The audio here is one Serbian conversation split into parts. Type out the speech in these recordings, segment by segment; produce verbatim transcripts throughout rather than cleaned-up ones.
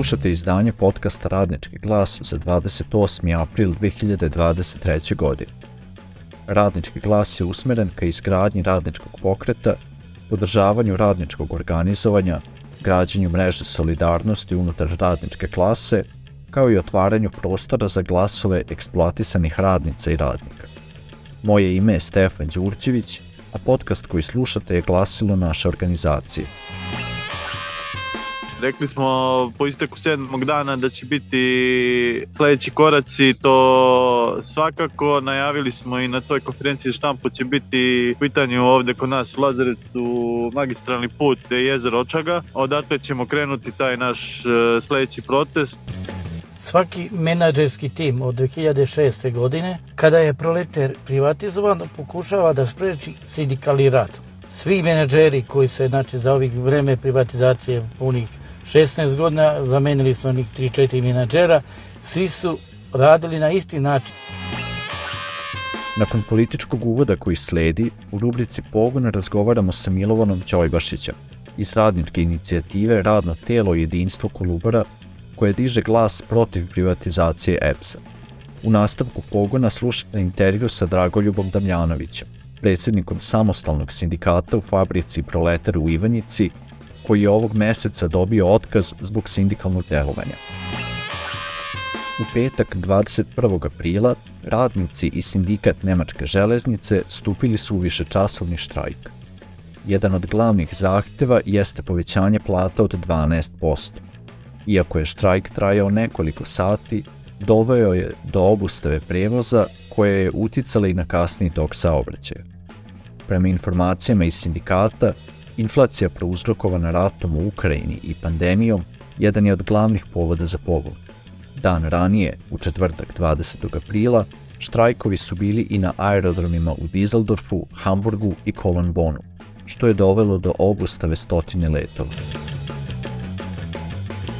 Slušate izdanje podcasta Radnički glas za dvadeset osmi april dve hiljade dvadeset treće. godine. Radnički glas je usmeren ka izgradnji radničkog pokreta, podržavanju radničkog organizovanja, građenju mreže solidarnosti unutar radničke klase, kao i otvaranju prostora za glasove eksploatisanih radnica i radnika. Moje ime je Stefan Đurđević, a podcast koji slušate je glasilo naše organizacije. Rekli smo po isteku sedmog dana da će biti sljedeći koraci, to svakako najavili smo i na toj konferenciji štampu će biti u pitanju ovdje kod nas u Lazarevcu magistralni put jezero Očaga. Odatle ćemo krenuti taj naš sljedeći protest. Svaki menadžerski tim od dve hiljade šeste. godine, kada je Proleter privatizovan, pokušava da spreči sindikalni rad. Svi menadžeri koji su znači, za ovih vreme privatizacije punih šesnaest godina, zamenili su onih tri četiri menadžera, svi su radili na isti način. Nakon političkog uvoda koji sledi, u rubrici Pogon razgovaramo sa Milovanom Ćojbašićem iz radničke inicijative Radno telo i jedinstvo Kolubara, koje diže glas protiv privatizacije E P S-a. U nastavku Pogona slušate intervju sa Dragoljubom Damjanovićem, predsjednikom samostalnog sindikata u fabrici Proletar u Ivanjici, koji je ovog meseca dobio otkaz zbog sindikalnog delovanja. U petak dvadeset prvog aprila radnici i sindikat Nemačke železnice stupili su u višečasovni štrajk. Jedan od glavnih zahtjeva jeste povećanje plata od dvanaest posto. Iako je štrajk trajao nekoliko sati, doveo je do obustave prevoza koje je uticala i na kasniji tok saobraćaja. Prema informacijama iz sindikata, inflacija prouzrokovana ratom u Ukrajini i pandemijom jedan je od glavnih povoda za pogon. Dan ranije, u četvrtak dvadesetog aprila, štrajkovi su bili i na aerodromima u Düsseldorfu, Hamburgu i Kolonbonu, što je dovelo do obustave stotine letova.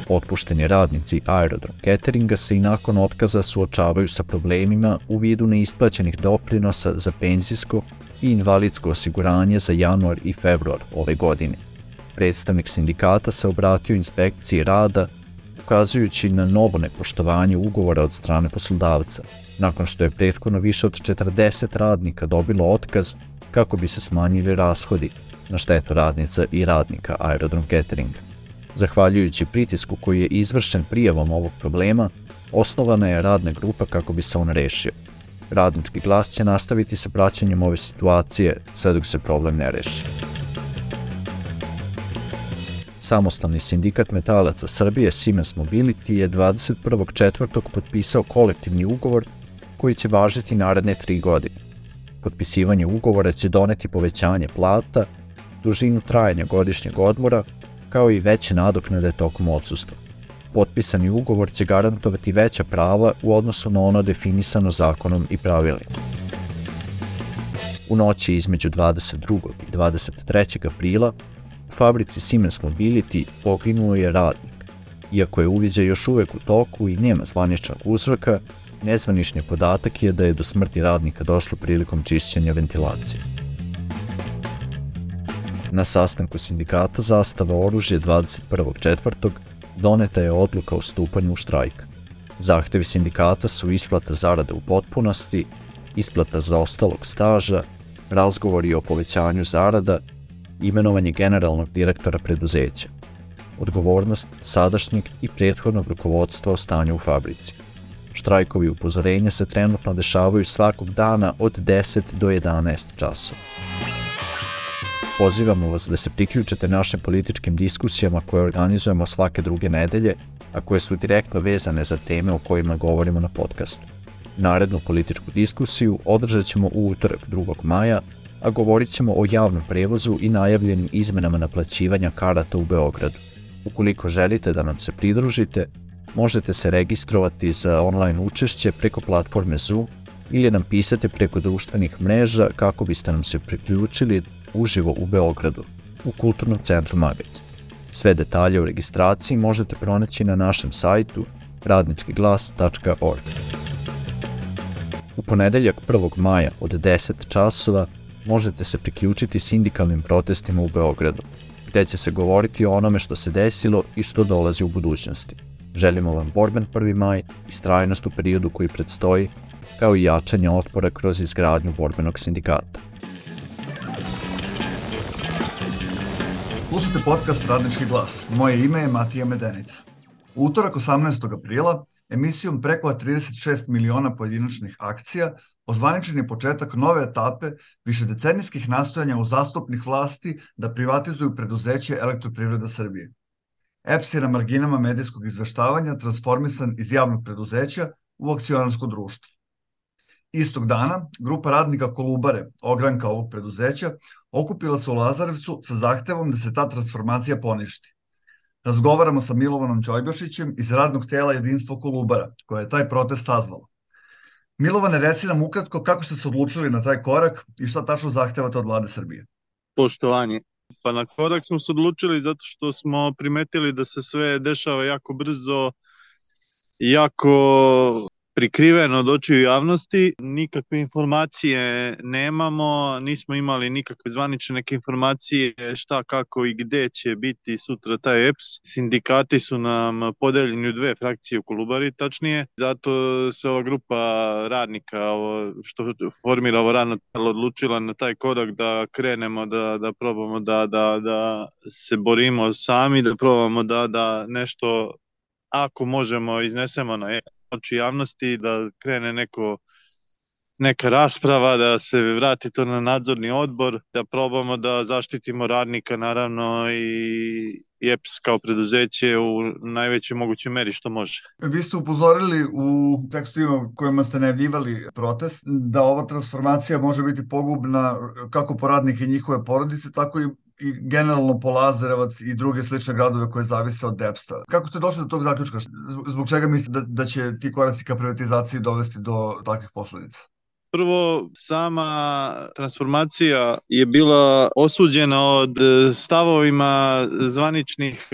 Otpušteni radnici aerodrom cateringa se i nakon otkaza suočavaju sa problemima u vidu neisplaćenih doprinosa za penzijsko i invalidsko osiguranje za januar i februar ove godine. Predstavnik sindikata se obratio inspekciji rada, ukazujući na novo nepoštovanje ugovora od strane poslodavca, nakon što je prethodno više od četrdeset radnika dobilo otkaz kako bi se smanjili rashodi na štetu radnica i radnika aerodrom cateringa. Zahvaljujući pritisku koji je izvršen prijavom ovog problema, osnovana je radna grupa kako bi se on rešio. Radnički glas će nastaviti sa praćenjem ove situacije sve dok se problem ne reši. Samostalni sindikat metalaca Srbije Siemens Mobility je dvadeset prvog četvrtog potpisao kolektivni ugovor koji će važiti naredne tri godine. Potpisivanje ugovora će doneti povećanje plata, dužinu trajanja godišnjeg odmora, kao i veće nadoknade tokom odsustva. Potpisani ugovor će garantovati veća prava u odnosu na ono definisano zakonom i pravilima. U noći između dvadeset drugog i dvadeset trećeg aprila u fabrici Siemens Mobility poginuo je radnik. Iako je uviđaj još uvek u toku i nema zvaničnog uzroka, nezvanični podatak je da je do smrti radnika došlo prilikom čišćenja ventilacije. Na sastanku sindikata Zastava oružje dvadeset prvog četvrtog doneta je odluka o stupanju u štrajk. Zahtevi sindikata su isplata zarade u potpunosti, isplata zaostalog staža, razgovori o povećanju zarada, imenovanje generalnog direktora preduzeća, odgovornost sadašnjeg i prethodnog rukovodstva o stanju u fabrici. Štrajkovi upozorenja se trenutno dešavaju svakog dana od deset do jedanaest časova. Pozivamo vas da se priključite našim političkim diskusijama koje organizujemo svake druge nedelje, a koje su direktno vezane za teme o kojima govorimo na podcastu. Narednu političku diskusiju održat ćemo u utorak drugog maja, a govorit ćemo o javnom prevozu i najavljenim izmenama naplaćivanja karata u Beogradu. Ukoliko želite da nam se pridružite, možete se registrovati za online učešće preko platforme Zoom ili nam pisati preko društvenih mreža kako biste nam se priključili uživo u Beogradu, u Kulturnom centru Magacin. Sve detalje o registraciji možete pronaći na našem sajtu radnički glas tačka org. U ponedeljak prvog maja od deset časova možete se priključiti sindikalnim protestima u Beogradu, gdje će se govoriti o onome što se desilo i što dolazi u budućnosti. Želimo vam borben prvi maj i strajnost u periodu koji predstoji, kao i jačanje otpora kroz izgradnju borbenog sindikata. Slušajte podcast Radnički glas. Moje ime je Matija Medenica. U utorak osamnaestog aprila emisijom preko trideset šest miliona pojedinačnih akcija ozvaničen je početak nove etape višedecenijskih nastojanja uzastopnih vlasti da privatizuju preduzeće Elektroprivreda Srbije. E P S je na marginama medijskog izveštavanja transformisan iz javnog preduzeća u akcionarsko društvo. Istog dana, grupa radnika Kolubare, ogranka ovog preduzeća, okupila se u Lazarevcu sa zahtevom da se ta transformacija poništi. Razgovaramo sa Milovanom Ćojbašićem iz radnog tela Jedinstvo Kolubara, koje je taj protest sazvalo. Milovane, reci nam ukratko kako ste se odlučili na taj korak i šta tačno zahtevate od vlade Srbije. Poštovanje. Pa na korak smo se odlučili zato što smo primetili da se sve dešava jako brzo, jako prikriveno od očiju javnosti, nikakve informacije nemamo, nismo imali nikakve zvanične neke informacije šta, kako i gde će biti sutra taj E P S. Sindikati su nam podeljeni u dve frakcije u Kolubari, tačnije, zato se ova grupa radnika ovo, što formira ovo radno telo odlučila na taj korak da krenemo, da, da probamo da, da, da se borimo sami, da probamo da, da nešto, ako možemo, iznesemo na oči javnosti, da krene neko, neka rasprava, da se vrati to na nadzorni odbor, da probamo da zaštitimo radnika, naravno, i E P S kao preduzeće u najvećoj mogućoj meri što može. Vi ste upozorili u tekstovima kojima ste najavljivali protest da ova transformacija može biti pogubna kako po radnike i njihove porodice, tako i i generalno po Lazarevac i druge slične gradove koje zavise od E P S-a. Kako ste došli do tog zaključka? Zbog čega mislite da, da će ti koraci ka privatizaciji dovesti do takvih posledica? Prvo, sama transformacija je bila osuđena od stavovima zvaničnih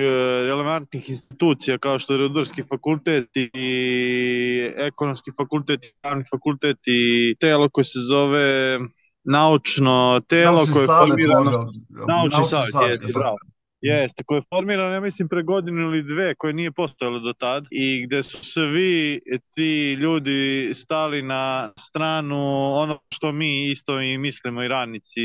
relevantnih institucija kao što je Rudarski fakultet i Ekonomski fakultet i Pravni fakultet i telo koje se zove naučno telo naučni koje je formirano, može, naučni savjet, savjet je, bravo. Jeste, koje je formirano, ja mislim, pre godinu ili dve, koje nije postojalo do tad i gde su svi ti ljudi stali na stranu ono što mi isto i mislimo i radnici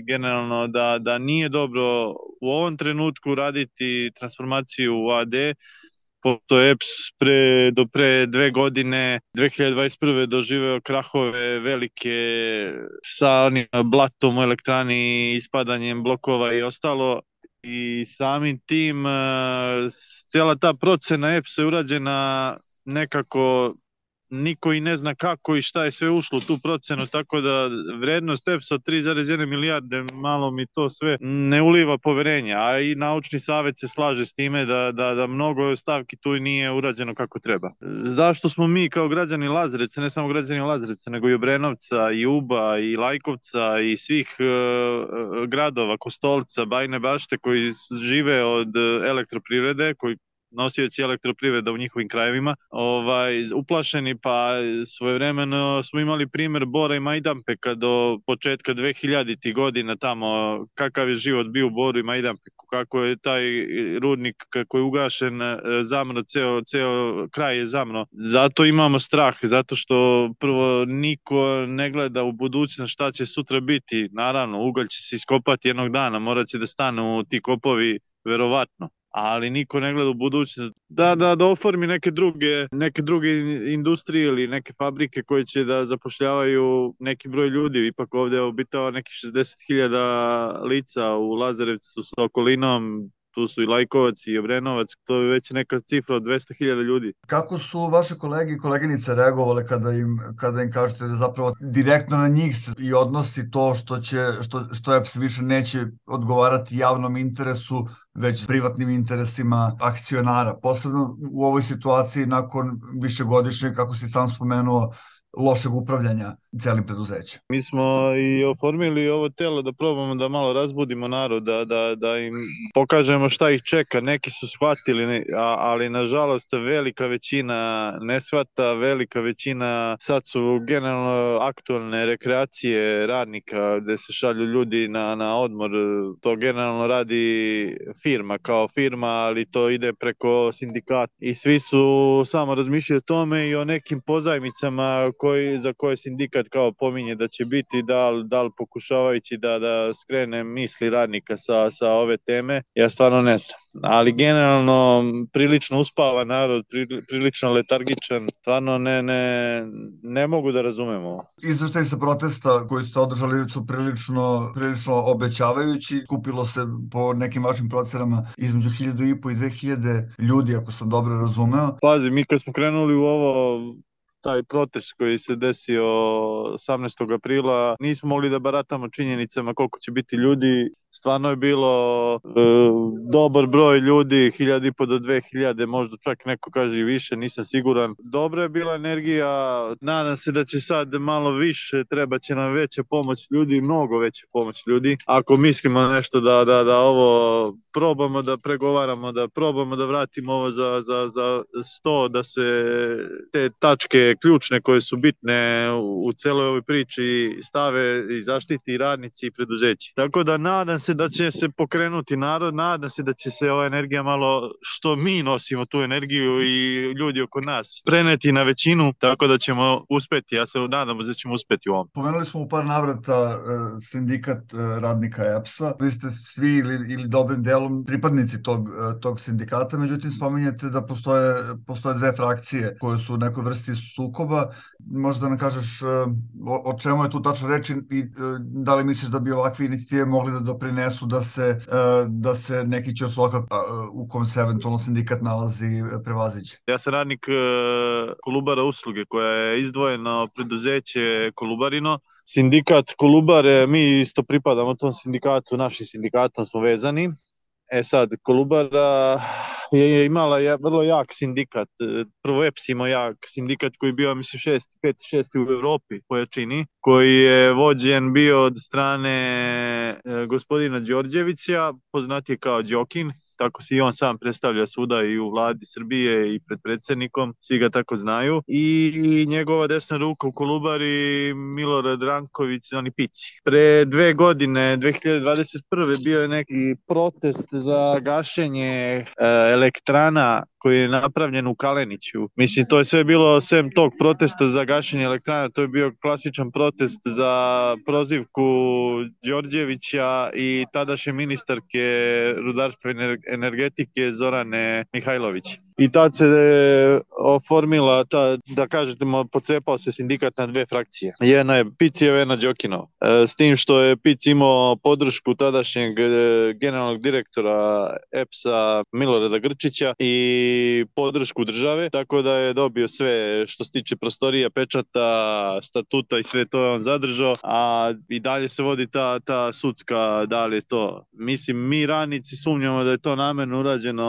generalno da, da nije dobro u ovom trenutku raditi transformaciju u A D, pošto E P S pre, do pre dve godine, dve hiljade dvadeset prve doživeo krahove velike sa onim blatom u elektrani, ispadanjem blokova i ostalo. I samim tim cijela ta procena E P S je urađena nekako, niko i ne zna kako i šta je sve ušlo u tu procenu, tako da vrednost E P S-a tri zarez jedna milijarde, malo mi to sve ne uliva poverenja, a i naučni savjet se slaže s time da, da, da mnogo stavki tu nije urađeno kako treba. Zašto smo mi kao građani Lazarevca, ne samo građani Lazarevca, nego i Obrenovca, i Uba, i Lajkovca, i svih uh, gradova, Kostolca, Bajine Bašte, koji žive od elektroprivrede, koji nosioci elektroprivreda u njihovim krajevima, ovaj, uplašeni, pa svojevremeno smo imali primjer Bora i Majdanpeka do početka dve hiljaditih godina tamo, kakav je život bio u Boru i Majdanpeku, kako je taj rudnik kako je ugašen zamro, ceo, ceo kraj je zamro. Zato imamo strah, zato što prvo niko ne gleda u budućnost šta će sutra biti. Naravno, ugalj će se iskopati jednog dana, morat će da stanu ti kopovi verovatno, ali niko ne gleda u budućnost da, da, da oformi neke druge, neke druge industrije ili neke fabrike koje će da zapošljavaju neki broj ljudi. Ipak ovdje je obitao neki šezdeset hiljada lica u Lazarevcu sa okolinom, tu su i Lajkovac i Obrenovac, to je već neka cifra od dvesta hiljada ljudi. Kako su vaše kolege i koleginice reagovale kada im, kada im kažete da zapravo direktno na njih se i odnosi to što, će, što, što E P S više neće odgovarati javnom interesu, već privatnim interesima akcionara, posebno u ovoj situaciji nakon višegodišnje, kako si sam spomenuo, lošeg upravljanja celim preduzećem. Mi smo i oformili ovo telo da probamo da malo razbudimo narod, da, da, da im pokažemo šta ih čeka. Neki su shvatili, ali nažalost velika većina ne shvata, velika većina sad su generalno aktualne rekreacije radnika gde se šalju ljudi na, na odmor. To generalno radi firma kao firma, ali to ide preko sindikata i svi su samo razmišljaju o tome i o nekim pozajmicama koji, za koje sindikat kao pominje da će biti, da li, da li pokušavajući da, da skrene misli radnika sa, sa ove teme, ja stvarno ne znam. Ali generalno prilično uspava narod, prilično letargičan, stvarno ne, ne, ne mogu da razumemo. Izveštaj sa protesta koji ste održali su prilično, prilično obećavajući. Kupilo se po nekim vašim procenama između hiljadu i po i dve hiljade ljudi, ako sam dobro razumeo. Pazi, mi kad smo krenuli u ovo, taj protest koji se desio osamnaestog aprila, nismo mogli da baratamo činjenicama koliko će biti ljudi. Stvarno je bilo e, dobar broj ljudi, hiljada i po do dve hiljade, možda čak neko kaže i više, nisam siguran. Dobra je bila energija, nadam se da će sad malo više, treba će nam veća pomoć ljudi, mnogo veća pomoć ljudi. Ako mislimo nešto da, da, da ovo probamo da pregovaramo, da probamo da vratimo ovo za, za, za sto, da se te tačke ključne koje su bitne u, u celoj ovoj priči stave i zaštiti radnici i preduzeći. Tako da nadam se da će se pokrenuti narod, nadam se da će se ova energija malo, što mi nosimo tu energiju i ljudi oko nas, preneti na većinu, tako da ćemo uspeti. Ja se nadam da ćemo uspeti u ovom. Pomenuli smo u par navrata sindikat radnika E P S-a. Vi ste svi ili, ili dobrim delom pripadnici tog, tog sindikata, međutim spominjete da postoje, postoje dve frakcije koje su u nekoj vrsti sukoba. Možda nam kažeš o, o čemu je tu tačno reči i da li misliš da bi ovakve inicijative mogli da doprinesu da se, da se neki ćosoka u kom se eventualno sindikat nalazi prevaziđe? Ja sam radnik Kolubara usluge koja je izdvojeno preduzeće Kolubarino. Sindikat Kolubare, mi isto pripadamo tom sindikatu, našim sindikatom smo vezani. E sad, Kolubara je imala vrlo jak sindikat. Prvo E P S imao jak sindikat koji je bio, mislim, šest, pet, šesti u Evropi po jačini, koji je vođen bio od strane gospodina Đorđevića, poznatije kao Đokin. Tako se i on sam predstavlja svuda i u vladi Srbije i pred predsjednikom, svi ga tako znaju. I njegova desna ruka u Kolubari, Milorad Ranković, oni Pici. Pre dve godine, dve hiljade dvadeset prve bio je neki protest za gašenje e, elektrana koji je napravljen u Kaleniću. Mislim, to je sve bilo, sem tog protesta za gašenje elektrana, to je bio klasičan protest za prozivku Đorđevića i tadašnje ministarke rudarstva i energetike Zorane Mihajlović. I tad se oformila, ta, da kažete, pocepao se sindikat na dve frakcije. Jedna je Picijeva, jedna Đokinov. S tim što je Pic imao podršku tadašnjeg generalnog direktora E P S-a Milorada Grčića i podršku države, tako da je dobio sve što se tiče prostorija, pečata, statuta i sve to je on zadržao, a i dalje se vodi ta, ta sudska, da li je to. Mislim, mi radnici sumnjamo da je to namerno urađeno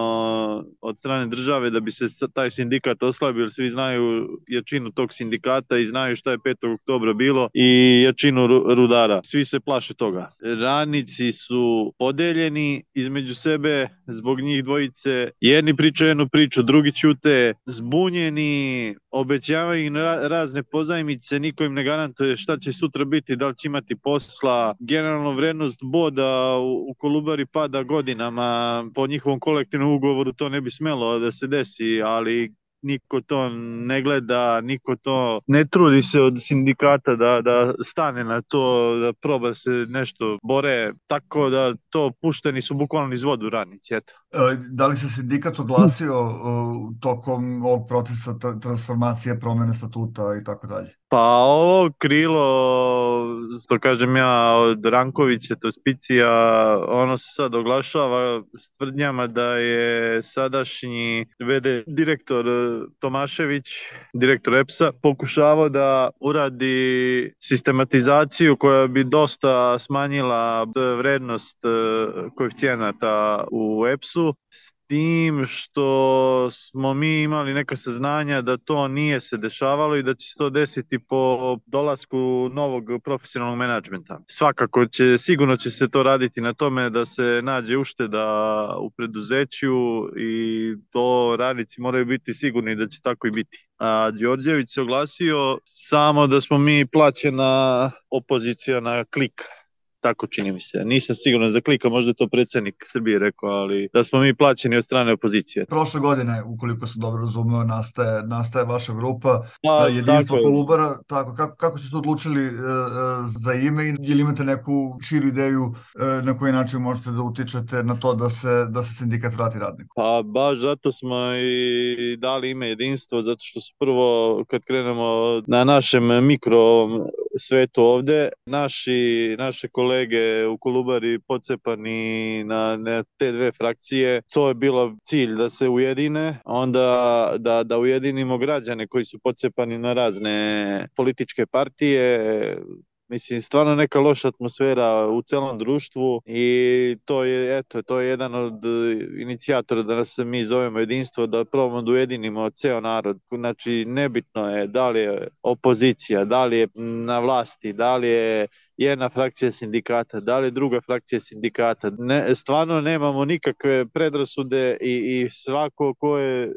od strane države da bi se taj sindikat oslabio, jer svi znaju jačinu tog sindikata i znaju šta je petog oktobra bilo i jačinu rudara. Svi se plaše toga. Radnici su podeljeni između sebe zbog njih dvojice. Jedni pričaju jednu priču, drugi ćute, zbunjeni, obećavaju im razne pozajmice, niko im ne garantuje šta će sutra biti, da li će imati posla. Generalno vrednost boda u Kolubari pada godinama. Po njihovom kolektivnom ugovoru to ne bi smelo da se desi, ali niko to ne gleda, niko to ne trudi se od sindikata da, da stane na to, da proba se nešto bore, tako da to pušteni su bukvalno iz vodu radnici, eto. Da li se sindikat oglasio tokom ovog procesa transformacije, promene statuta i tako dalje? Pa ovo krilo, što kažem ja, od Rankovića, to je Picija, ono se sad oglašava s tvrdnjama da je sadašnji ve de direktor Tomašević, direktor E P S-a, pokušavao da uradi sistematizaciju koja bi dosta smanjila vrednost koeficijenata u E P S-u glasu, s tim što smo mi imali neka saznanja da to nije se dešavalo i da će se to desiti po dolasku novog profesionalnog menadžmenta. Svakako će, sigurno će se to raditi na tome da se nađe ušteda u preduzeću i to radnici moraju biti sigurni da će tako i biti. A Đorđević se oglasio samo da smo mi plaćena opozicija na klik. Tako čini mi se. Nisam siguran za klika, možda je to predsjednik Srbije rekao, ali da smo mi plaćeni od strane opozicije. Prošle godine, ukoliko sam dobro razumeo, nastaje, nastaje vaša grupa A, Jedinstvo tako Kolubara. Tako, kako, kako ste se odlučili e, za ime i ili imate neku širu ideju e, na koji način možete da utičete na to da se, da se sindikat vrati radniku? Pa baš zato smo i dali ime Jedinstvo, zato što su prvo, kad krenemo na našem mikro svetu ovde, naši, naše kolege u Kolubari pocepani na, na te dve frakcije, to je bilo cilj da se ujedine, onda da, da ujedinimo građane koji su pocepani na razne političke partije. Mislim, stvarno neka loša atmosfera u celom društvu i to je, eto, to je jedan od inicijatora da nas mi zovemo Jedinstvo, da probamo da ujedinimo ceo narod. Znači, nebitno je da li je opozicija, da li je na vlasti, da li je jedna frakcija sindikata, da li druga frakcija sindikata. Ne, stvarno nemamo nikakve predrasude i, i svako ko je e,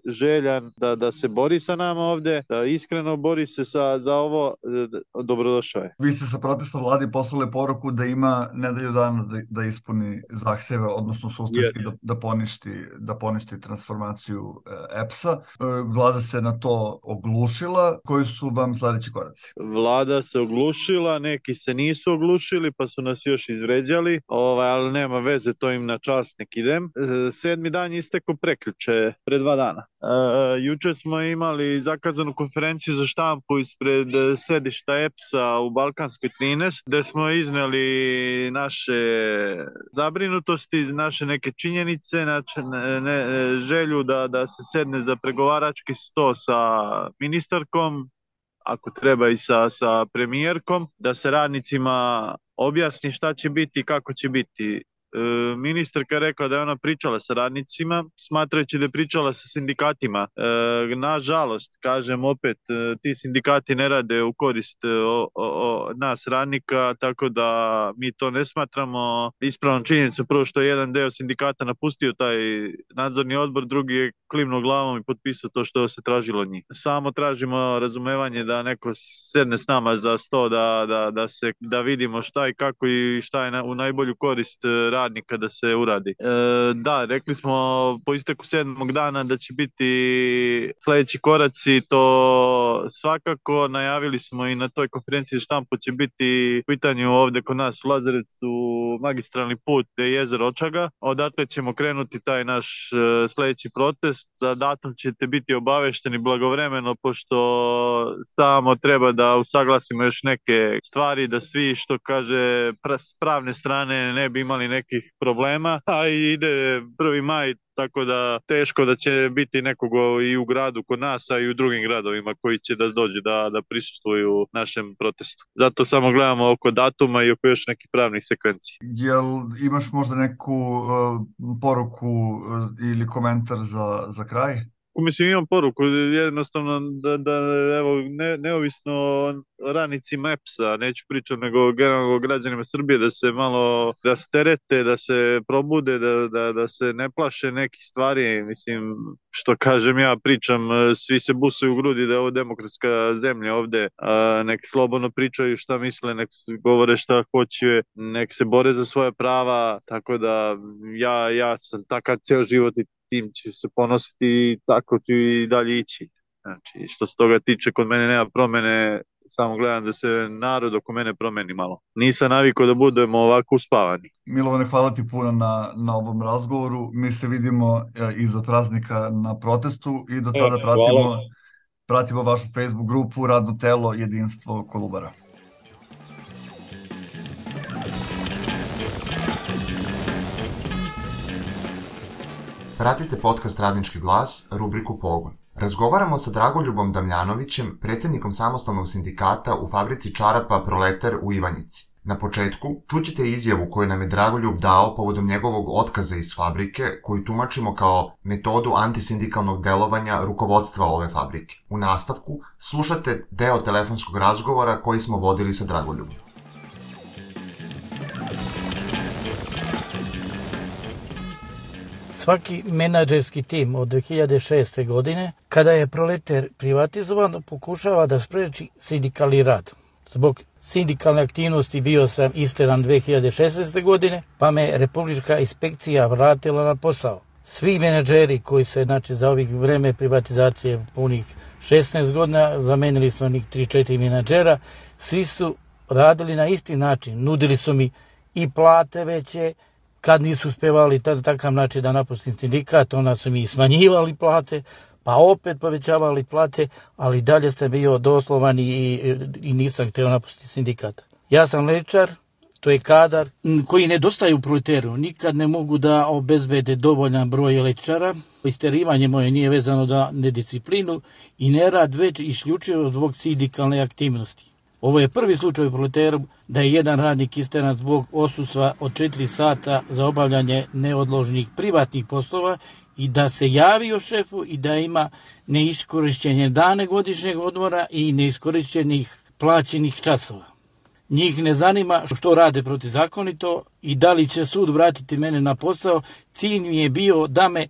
željan da, da se bori sa nama ovde, da iskreno bori se sa, za ovo, e, dobrodošao je. Vi ste sa protesta vladi poslali poruku da ima nedelju dana da, da ispuni zahteve, odnosno suštinski yeah. da, da, poništi, da poništi transformaciju e, E P S-a. E, vlada se na to oglušila. Koji su vam sledeći koraci? Vlada se oglušila, neki se nisu oglušili pa su nas još izvređali, ovaj, ali nema veze, to im na čast nek idem. E, sedmi dan isteko prekjuče, pre dva dana. E, juče smo imali zakazanu konferenciju za štampu ispred sedišta E P S-a u Balkanskoj trinaest, gde smo izneli naše zabrinutosti, naše neke činjenice, naše, ne, ne, želju da, da se sedne za pregovarački sto sa ministarkom, ako treba i sa, sa premijerkom, da se radnicima objasni šta će biti i kako će biti. E, ministarka je rekla da je ona pričala sa radnicima, smatrajući da je pričala sa sindikatima. E, nažalost, kažem opet, e, ti sindikati ne rade u korist o, o, o nas radnika, tako da mi to ne smatramo ispravnom činjenicom. Prvo što je jedan deo sindikata napustio taj nadzorni odbor, drugi je klimnuo glavom i potpisao to što se tražilo od njih. Samo tražimo razumevanje da neko sedne s nama za sto, da, da, da, se, da vidimo šta i kako i šta je na, u najbolju korist radnika da se uradi. E, da, rekli smo po isteku sedmog dana da će biti sledeći koraci, to svakako najavili smo i na toj konferenciji za štampu će biti u pitanju ovde kod nas u Lazarevcu magistralni put gde je jezero Očaga. Odatle ćemo krenuti taj naš sledeći protest. Za datum ćete biti obavešteni blagovremeno, pošto samo treba da usaglasimo još neke stvari, da svi, što kaže, s pravne strane ne bi imali nekih problema, a ide prvi maj, tako da teško da će biti nekog i u gradu kod nas, a i u drugim gradovima koji će da dođe da, da prisustvuju našem protestu. Zato samo gledamo oko datuma i oko još nekih pravnih sekvenci. Jel imaš možda neku uh, poruku uh, ili komentar za, za kraj? Mislim, imam poruku, jednostavno da, da evo, ne, neovisno o radnicima E P S-a, neću pričati, nego generalno građanima Srbije, da se malo rasterete, da se probude, da, da, da se ne plaše nekih stvari. Mislim, što kažem ja, pričam, svi se busaju u grudi da je ovo demokratska zemlja ovde, a, nek slobodno pričaju šta misle, nek govore šta hoće, nek se bore za svoje prava, tako da ja, ja sam takav ceo život i tim ću se ponositi i tako ću i dalje ići. Znači, što se toga tiče, kod mene nema promene, samo gledam da se narod oko mene promeni malo. Nisam navikao da budemo ovako uspavani. Milovane, hvala ti puno na, na ovom razgovoru. Mi se vidimo e, iza praznika na protestu i do tada e, pratimo, pratimo vašu Facebook grupu Radno telo Jedinstvo Kolubara. Pratite podcast Radnički glas, rubriku Pogon. Razgovaramo sa Dragoljubom Damljanovićem, predsjednikom samostalnog sindikata u fabrici čarapa Proletar u Ivanjici. Na početku čućete izjavu koju nam je Dragoljub dao povodom njegovog otkaza iz fabrike, koju tumačimo kao metodu antisindikalnog delovanja rukovodstva ove fabrike. U nastavku slušate deo telefonskog razgovora koji smo vodili sa Dragoljubom. Svaki menadžerski tim od dve hiljade šeste. godine, kada je Proleter privatizovan, pokušava da spreči sindikalni rad. Zbog sindikalne aktivnosti bio sam isteran dve hiljade šesnaeste. godine, pa me Republička inspekcija vratila na posao. Svi menadžeri koji se, znači, za ovih vreme privatizacije punih šesnaest godina, zamenili smo njih tri četiri menadžera, svi su radili na isti način. Nudili su mi i plate veće, kad nisu uspevali tada takav način da napustim sindikat, onda su mi smanjivali plate, pa opet povećavali plate, ali dalje sam bio doslovan i, i, i nisam hteo napustiti sindikat. Ja sam lečar, to je kadar koji nedostaje u Proleteru. Nikad ne mogu da obezbede dovoljan broj lečara. Isterivanje moje nije vezano za nedisciplinu i nerad, već isključivo zbog sindikalne aktivnosti. Ovo je prvi slučaj u Proleteru da je jedan radnik isteran zbog odsustva od četiri sata za obavljanje neodloženih privatnih poslova i da se javio šefu i da ima neiskorišćenje dane godišnjeg odmora i neiskorišćenih plaćenih časova. Njih ne zanima što rade protivzakonito i da li će sud vratiti mene na posao. Cilj mi je bio da me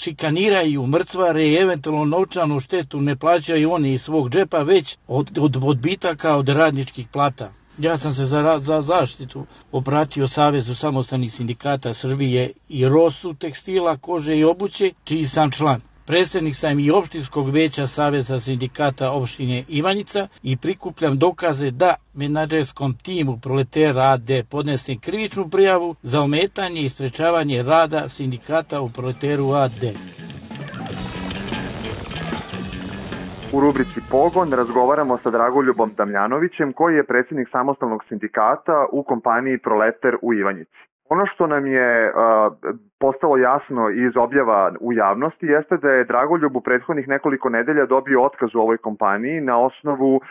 šikaniraju, mrcvare i eventualno novčanu štetu ne plaćaju oni iz svog džepa, već od, od odbitaka od radničkih plata. Ja sam se za, za zaštitu obratio Savezu samostalnih sindikata Srbije i Rosu tekstila, kože i obuće, čiji sam član. Predsjednik sam i opštinskog veća Saveza sindikata opštine Ivanjica i prikupljam dokaze da menadžerskom timu Proleter A D podnesem krivičnu prijavu za ometanje i sprečavanje rada sindikata u Proleteru A D. U rubrici Pogon razgovaramo sa Dragoljubom Damljanovićem, koji je predsjednik samostalnog sindikata u kompaniji Proleter u Ivanjici. Ono što nam je uh, postalo jasno iz objava u javnosti jeste da je Dragoljub u prethodnih nekoliko nedelja dobio otkaz u ovoj kompaniji na osnovu uh,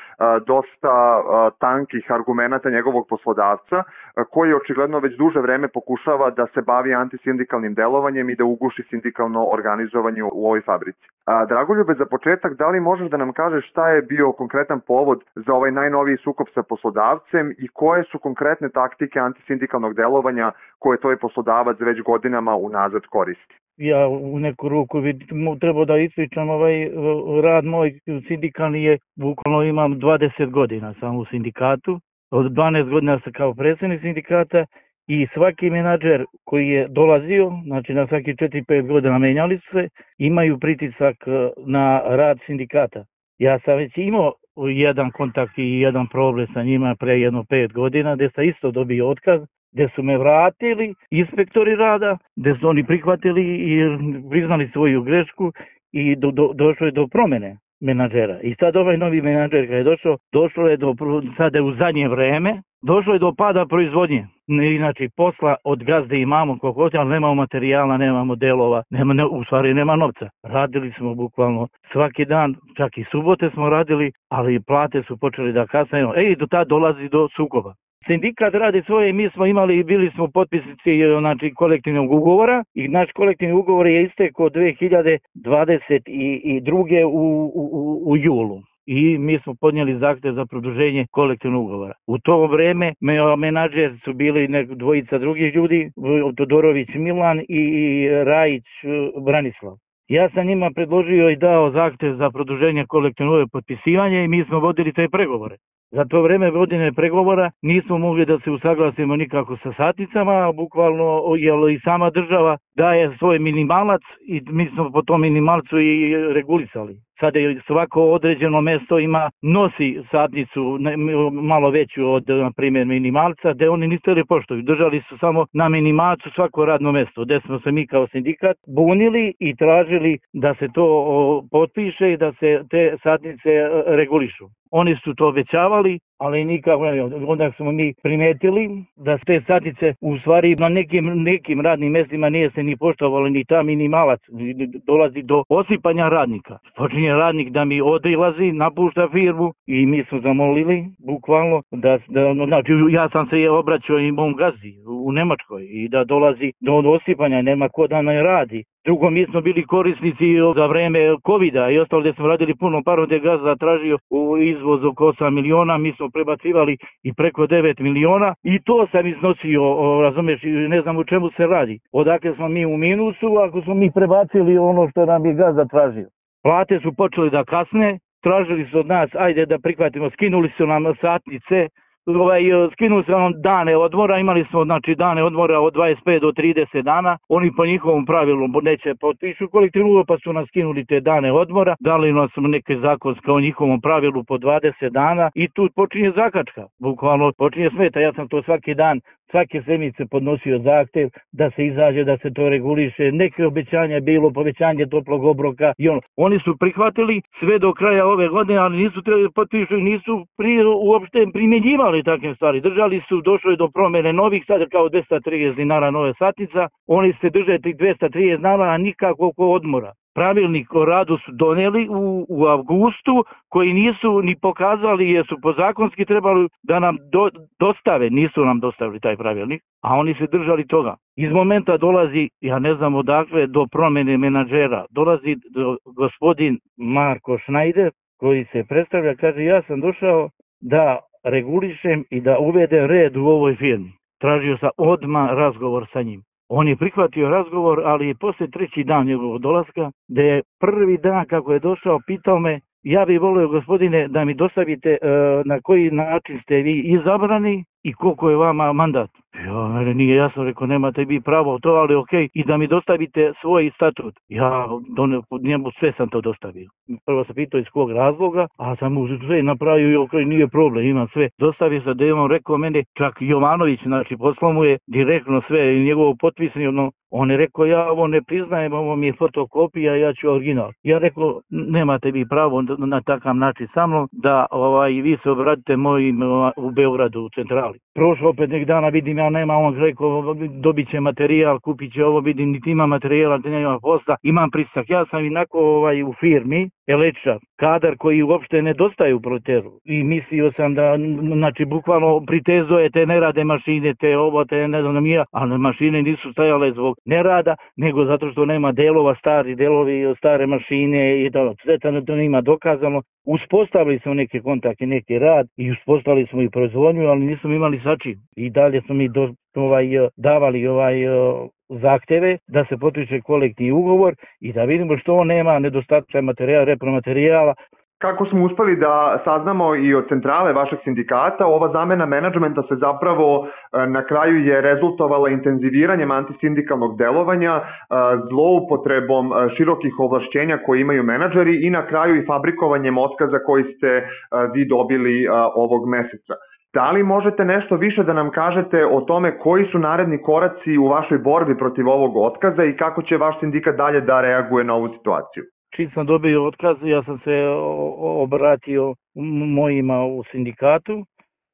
dosta uh, tankih argumenata njegovog poslodavca, uh, koji očigledno već duže vreme pokušava da se bavi antisindikalnim delovanjem i da uguši sindikalno organizovanje u ovoj fabrici. Uh, Dragoljube, za početak, da li možeš da nam kažeš šta je bio konkretan povod za ovaj najnoviji sukob sa poslodavcem i koje su konkretne taktike antisindikalnog delovanja koje tvoj poslodavac već godinama unazad koristi? Ja u neku ruku treba da ispričam ovaj rad moj sindikalni je, bukvalno imam dvadeset godina sam u sindikatu, od dvanaest godina sam kao predsjednik sindikata i svaki menadžer koji je dolazio, znači na svaki četiri pet godina menjali su se, imaju pritisak na rad sindikata. Ja sam već imao jedan kontakt i jedan problem sa njima pre jedno pet godina gde sam isto dobio otkaz, gde su me vratili inspektori rada, gde su oni prihvatili i priznali svoju grešku i do, do, došlo je do promene menadžera. I sad ovaj novi menadžer kada je došao, došlo je do, sada je u zadnje vreme, došlo je do pada proizvodnje. Inače, posla od gazde imamo koliko hoće, ali nemamo materijala, nemamo delova, nema, ne, u stvari nema novca. Radili smo bukvalno svaki dan, čak i subote smo radili, ali plate su počeli da kasnaju. Ej, do tada dolazi do sukoba. Sindikat radi svoje, mi smo imali i bili smo potpisnici, znači, kolektivnog ugovora i naš kolektivni ugovor je istekao dve hiljade dvadeset druge u, u, u julu. I mi smo podnijeli zahtev za produženje kolektivnog ugovora. U to vreme menadžer su bili nek, dvojica drugih ljudi, Todorović Milan i Rajić Branislav. Ja sam njima predložio i dao zahtev za produženje kolektivnog potpisivanja i mi smo vodili te pregovore. Za to vreme vodine pregovora nismo mogli da se usaglasimo nikako sa satnicama, bukvalno jer i sama država daje svoj minimalac i mi smo po tom minimalcu i regulisali. Sada je svako određeno mesto ima, nosi satnicu malo veću od, na primjer, minimalca, gde oni niste li poštuju. Držali su samo na minimalcu svako radno mesto, gde smo se mi kao sindikat bunili i tražili da se to potpiše i da se te satnice regulišu. Oni su to obećavali ali nikako, onda smo mi primetili da te satnice u stvari na nekim, nekim radnim mjestima nije se ni poštovalo ni ta minimalac, dolazi do osipanja radnika. Počinje radnik da mi odilazi, napušta firmu i mi smo zamolili bukvalno da, da znači ja sam se obraćao i mom gazdi u Nemačkoj i da dolazi do osipanja, nema ko da ne radi. Drugo, mi smo bili korisnici za vreme covida i ostalo gdje smo radili puno parom gdje gazda tražio u izvoz oko osam miliona, mi smo prebacivali i preko devet miliona i to sam iznosio, razumiješ, ne znam u čemu se radi. Odakle smo mi u minusu ako smo mi prebacili ono što nam je gazda tražio. Plate su počeli da kasne, tražili su od nas, ajde da prihvatimo, skinuli su nam satnice, Ovaj, skinuli su nam dane odmora, imali smo znači dane odmora od dvadeset pet do trideset dana, oni po njihovom pravilu neće potpišu kolektivnu ugovor pa su nas skinuli te dane odmora, dali nas neke zakonske o njihovom pravilu po dvadeset dana i tu počinje zakačka, bukvalno počinje smeta, ja sam to svaki dan, svake sedmice podnosio zahtev da se izađe, da se to reguliše, neke obećanja je bilo, povećanje toplog obroka i ono. Oni su prihvatili sve do kraja ove godine, ali nisu potpišu i nisu prije uopšte primjenjivali takve stvari. Držali su, došlo je do promjene novih, sad kao dvesta trideset dinara nove satnica, oni se drže tih dvesta trideset dinara, nikako oko odmora. Pravilnik o radu su donijeli u, u avgustu, koji nisu ni pokazali jer su po zakonski trebali da nam do, dostave, nisu nam dostavili taj pravilnik, a oni se držali toga. Iz momenta dolazi, ja ne znam odakle, do promjene menadžera, dolazi do gospodin Marko Schneider, koji se predstavlja, kaže ja sam došao da regulišem i da uvedem red u ovoj firmi. Tražio sam odmah razgovor sa njim. On je prihvatio razgovor, ali je poslije treći dan njegovog dolaska, da je prvi dan kako je došao, pitao me, ja bih volio gospodine da mi dostavite e, na koji način ste vi izabrani i koliko je vama mandat. Ja, mene nije jasno, rekao, nemate vi pravo to, ali ok, i da mi dostavite svoj statut. Ja do, njemu sve sam to dostavio. Prvo sam pitao iz kog razloga, a sam mu sve napravio i ok, nije problem, imam sve. Dostavio sam da je on rekao mene, čak Jovanović, znači poslao mu je direktno sve, njegovo potpisano. On je rekao, ja ovo ne priznajem, ovo mi je fotokopija, ja ću original. Ja rekao, nemate vi pravo na, na takav način sa mnom, da ovaj, vi se obratite mojim u Beogradu u centrali. Prošlo opet nek dana, vidim ja nema, on rekao, dobit će materijal, kupit će ovo, vidim, niti ima materijala, niti nema posla, imam prisak. Ja sam inako ovaj, u firmi, električar, kadar koji uopšte nedostaje u proleteru. I mislio sam da, znači, bukvalno pritezo te ne rade mašine, te ovo, te ne znam ja, ali mašine nisu stajale zbog nerada, nego zato što nema delova, stari delovi, stare mašine i to, sve to nema dokazano. Uspostavili smo neke kontakte, neki rad i uspostavili smo i proizvodnju, ali nismo imali sačin. I dalje smo mi do, ovaj, davali ovaj zahteve da se potpiše kolektivni ugovor i da vidimo što on nema nedostatka materijala, repromaterijala. Kako smo uspeli da saznamo i od centrale vašeg sindikata, ova zamena menadžmenta se zapravo na kraju je rezultovala intenziviranjem antisindikalnog delovanja, zloupotrebom širokih ovlašćenja koje imaju menadžeri i na kraju i fabrikovanjem otkaza koji ste vi dobili ovog meseca. Da li možete nešto više da nam kažete o tome koji su naredni koraci u vašoj borbi protiv ovog otkaza i kako će vaš sindikat dalje da reaguje na ovu situaciju? Čim sam dobio otkaz, ja sam se obratio mojima u sindikatu,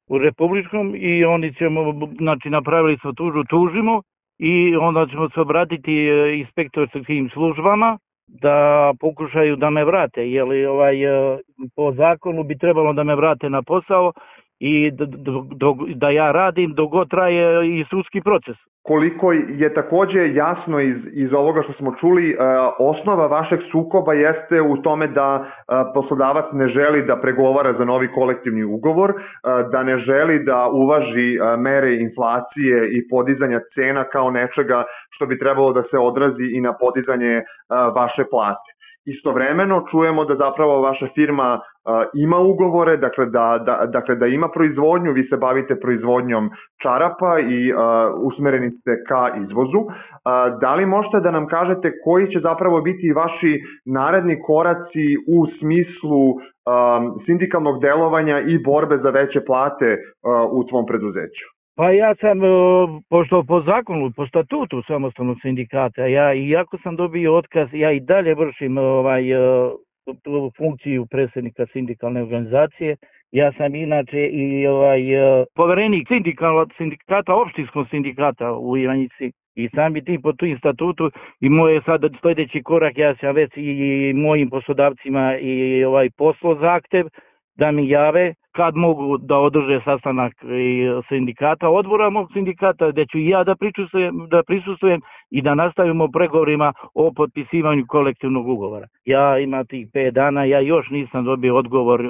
u republičkom i oni ćemo, znači napravili smo tužu, tužimo i onda ćemo se obratiti inspektorskim službama da pokušaju da me vrate, jer ovaj, po zakonu bi trebalo da me vrate na posao i da, da, da ja radim dok god traje i sudski proces. Koliko je takođe jasno iz, iz ovoga što smo čuli, osnova vašeg sukoba jeste u tome da poslodavac ne želi da pregovara za novi kolektivni ugovor, da ne želi da uvaži mere inflacije i podizanja cena kao nečega što bi trebalo da se odrazi i na podizanje vaše plate. Istovremeno čujemo da zapravo vaša firma uh, ima ugovore, dakle da, da, dakle da ima proizvodnju, vi se bavite proizvodnjom čarapa i uh, usmereni ste ka izvozu. Uh, da li možete da nam kažete koji će zapravo biti vaši naredni koraci u smislu um, sindikalnog delovanja i borbe za veće plate uh, u tvom preduzeću? Pa ja sam, pošto po zakonu, po statutu samostalnog sindikata, ja iako sam dobio otkaz, ja i dalje vršim ovaj, funkciju predsjednika sindikalne organizacije. Ja sam inače i ovaj poverenik sindikata, opštinskog sindikata u Ivanjici. I sami tim po tim statutu i moj je sad sljedeći korak, ja sam već i mojim poslodavcima i ovaj poslo zahtev da mi jave kad mogu da održe sastanak sindikata, odbora mog sindikata, gdje ću i ja da prisustvujem, da prisustvujem i da nastavimo pregovorima o potpisivanju kolektivnog ugovora. Ja imam tih pet dana, ja još nisam dobio odgovor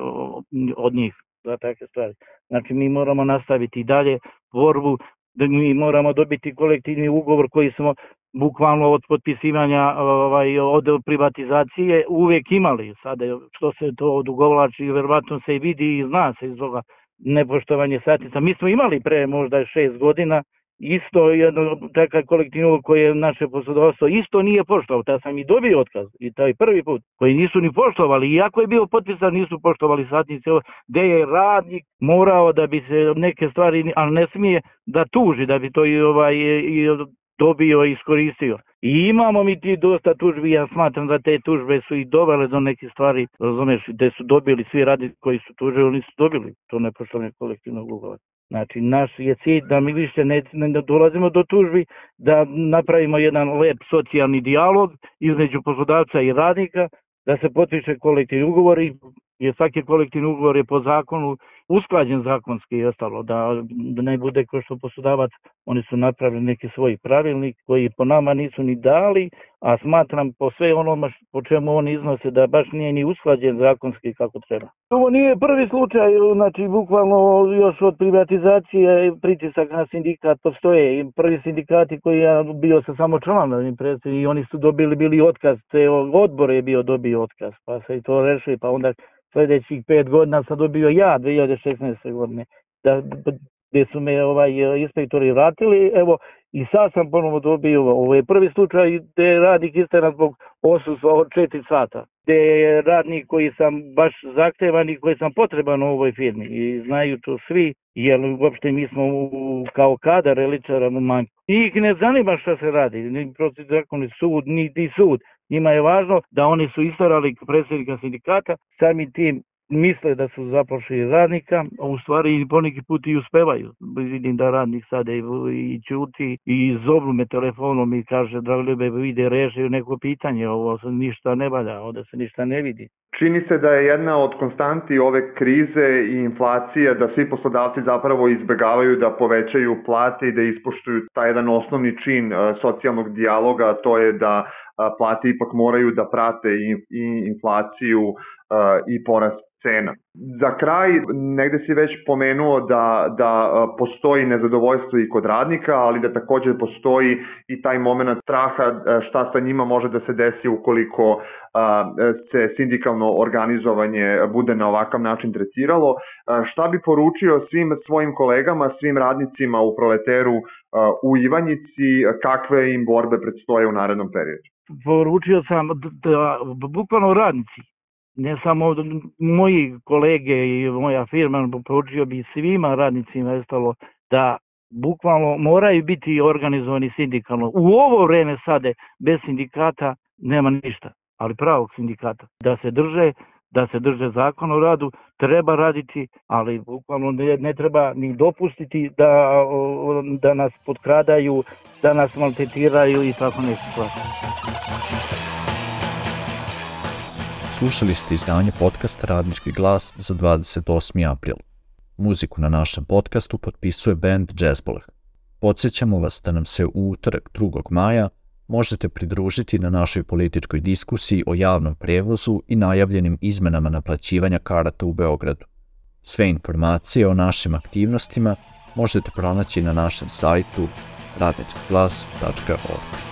od njih za takve stvari. Znači mi moramo nastaviti i dalje borbu, da mi moramo dobiti kolektivni ugovor koji smo bukvalno od potpisivanja ovaj, od privatizacije uvijek imali. Sada što se to odugovlači, vjerovatno se i vidi i zna se iz toga nepoštovanje satnica. Mi smo imali pre možda šest godina isto jedno takav kolektivni ugovor koji je naše poslodavstvo isto nije poštovao. Ta sam i dobio otkaz i taj prvi put koji nisu ni poštovali. Iako je bio potpisan nisu poštovali satnice gdje je radnik morao da bi se neke stvari, ali ne smije da tuži da bi to i ovaj i dobio i iskoristio. I imamo mi ti dosta tužbi, ja smatram da te tužbe su i dovele do nekih stvari, razumeš, gdje su dobili svi radnici koji su tužili, oni su dobili to nepoštovanje kolektivnog ugovora. Znači, naš je cilj da mi više ne, ne dolazimo do tužbi, da napravimo jedan lep socijalni dijalog između poslodavca i radnika, da se potpiše kolektivni ugovor i jer svaki kolektivni ugovor je po zakonu usklađen zakonski i ostalo, da, da ne bude kao što poslodavac, oni su napravili neki svoj pravilnik koji po nama nisu ni dali, a smatram po sve onome po čemu oni iznose da baš nije ni usklađen zakonski kako treba. Ovo nije prvi slučaj, znači bukvalno još od privatizacije pritisak na sindikat postoje i prvi sindikati koji ja bio sa samo članom i oni su dobili bili otkaz, te odbor je bio dobio otkaz, pa se i to rešili, pa onda sljedećih pet godina sam dobio ja dvije hiljade šesnaeste godine, da, gdje su me ovaj, inspektori vratili, evo, i sad sam ponovo dobio, ovo je prvi slučaj gdje je radnik isteran zbog odsustva od četiri sata, gdje je radnik koji sam baš zahtevan i koji sam potreban u ovoj firmi i znaju to svi, jer uopšte mi smo u, kao kadar eličara u manjku. Njih ne zanima šta se radi, ni protiv zakoni sud, ni, ni sud. Njima je važno da oni su istarali predsjednika sindikata, sami tim misle da su zapošli radnika, a u stvari poneki put i uspevaju. Vidim da radnik sada i, i čuti i zovu me telefonom i kaže Dragoljube, vide, režaju neko pitanje, ovo se ništa ne valja, ovdje se ništa ne vidi. Čini se da je jedna od konstanti ove krize i inflacije da svi poslodavci zapravo izbegavaju da povećaju plate i da ispoštuju taj jedan osnovni čin uh, socijalnog dijaloga, a to je da uh, plate ipak moraju da prate i, i inflaciju uh, i porast cena. Za kraj, negde si već pomenuo da, da postoji nezadovoljstvo i kod radnika, ali da također postoji i taj moment straha šta sa njima može da se desi ukoliko se sindikalno organizovanje bude na ovakav način tretiralo. Šta bi poručio svim svojim kolegama, svim radnicima u Proleteru u Ivanjici, kakve im borbe predstoje u narednom periodu? Poručio sam da bukvalno radnici, ne samo moji kolege i moja firma, poručio bi svima radnicima ostalo da bukvalno moraju biti organizovani sindikalno. U ovo vreme sada bez sindikata nema ništa, ali pravog sindikata. Da se drže, da se drže zakon o radu, treba raditi, ali bukvalno ne, ne treba ni dopustiti da, da nas potkradaju, da nas maltretiraju i tako nešto. Slušali ste izdanje podcasta Radnički glas za dvadeset osmi april. Muziku na našem podcastu potpisuje band Jazzboleh. Podsjećamo vas da nam se u utorak drugog maja možete pridružiti na našoj političkoj diskusiji o javnom prevozu i najavljenim izmenama naplaćivanja karata u Beogradu. Sve informacije o našim aktivnostima možete pronaći na našem sajtu radnički glas tačka org.